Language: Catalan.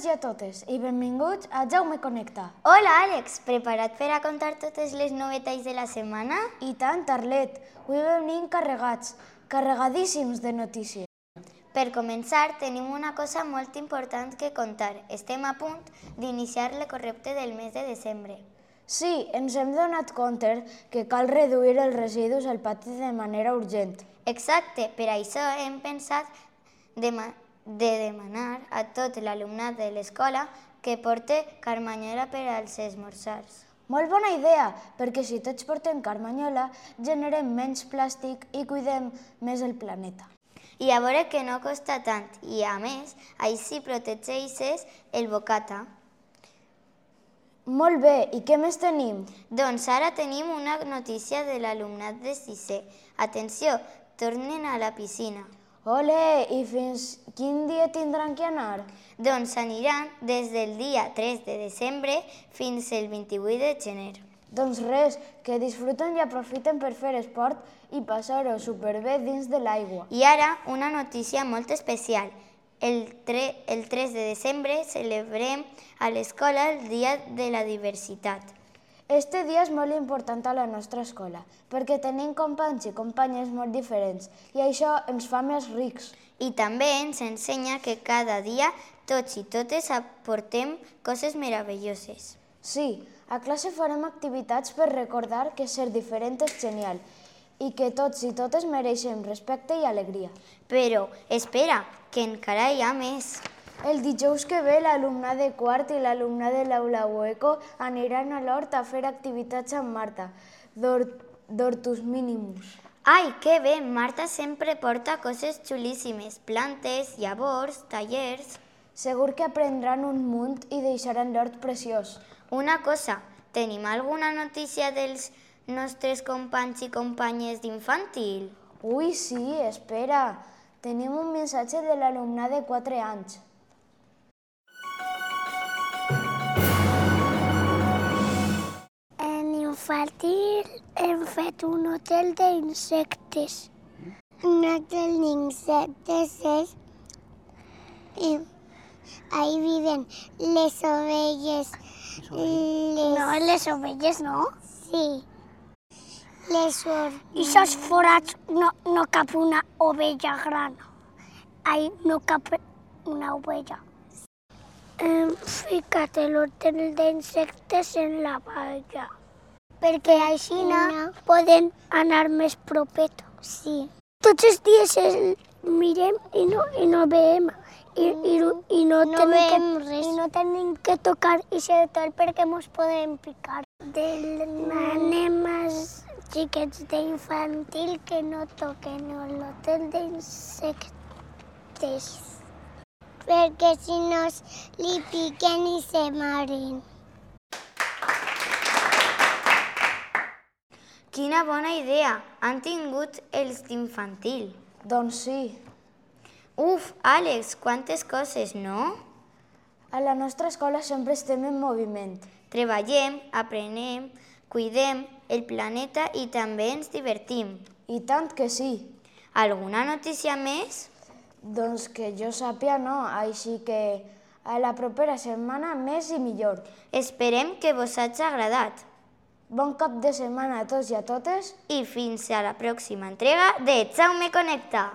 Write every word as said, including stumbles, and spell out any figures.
tots i a totes i benvinguts a Jaume Connecta. Hola, Àlex, preparat per a contar totes les novetats de la setmana? I tant, Arlet, avui venim carregats, carregadíssims de notícies. Per començar, tenim una cosa molt important que contar. Estem a punt d'iniciar l'ecorebte del mes de desembre. Sí, ens hem donat compte que cal reduir els residus al pati de manera urgent. Exacte, per això hem pensat de, de demanar a tot l'alumnat de l'escola que porte carmanyola per als esmorzars. Molt bona idea, perquè si tots portem carmanyola, generem menys plàstic i cuidem més el planeta. I a veure que no costa tant, i a més, així protegeixes el bocata. Molt bé, i què més tenim? Doncs ara tenim una notícia de l'alumnat de sisè. Atenció, tornen a la piscina. Ole, i fins quin dia tindran que anar? Doncs aniran des del dia tres de desembre fins el vint-i-vuit de gener. Doncs res, que disfruten i aprofiten per fer esport i passar-ho superbé dins de l'aigua. I ara, una notícia molt especial. El, tre el tres de desembre celebrem a l'escola el Dia de la Diversitat. Este dia és molt important a la nostra escola, perquè tenim companys i companyes molt diferents, i això ens fa més rics. I també ens ensenya que cada dia tots i totes aportem coses meravelloses. Sí, a classe farem activitats per recordar que ser diferent és genial i que tots i totes mereixem respecte i alegria. Però, espera, que encara hi ha més. El dijous que ve, l'alumnat de quart i l'alumnat de l'aula Ueco aniran a l'hort a fer activitats amb Marta, d'Hortus Minimus. Ai, que bé! Marta sempre porta coses xulíssimes, plantes, llavors, tallers... Segur que aprendran un munt i deixaran l'hort preciós. Una cosa, tenim alguna notícia dels nostres companys i companyes d'infantil? Ui, sí, espera. Tenim un missatge de l'alumnat de quatre anys. En infantil hem fet un hotel d'insectes. Un hotel d'insectes és... Ahí viven les ovelles. Les... No, les ovelles no. Sí. Les hormigas. I aquests forats no, no cap una ovella gran. Ahí no cap una ovella. Hem ficat l'hotel d'insectes en la valla. Perquè així no poden anar més propet. Sí. Tots els dies el mirem i no, i no veiem. I, i, i, no no tenim que, I no tenim que tocar aquest hotel perquè ens podem picar. Demanem als xiquets d'infantil que no toquen l'hotel d'insectes. Perquè si no li piquen i se moren. Quina bona idea! Han tingut els d'infantil. Doncs sí. Uf, Àlex, quantes coses, no? A la nostra escola sempre estem en moviment. Treballem, aprenem, cuidem el planeta i també ens divertim. I tant que sí. Alguna notícia més? Doncs que jo sàpia no, així que a la propera setmana més i millor. Esperem que vos hagi agradat. Bon cap de setmana a tots i a totes. I fins a la pròxima entrega de Jaume Connecta.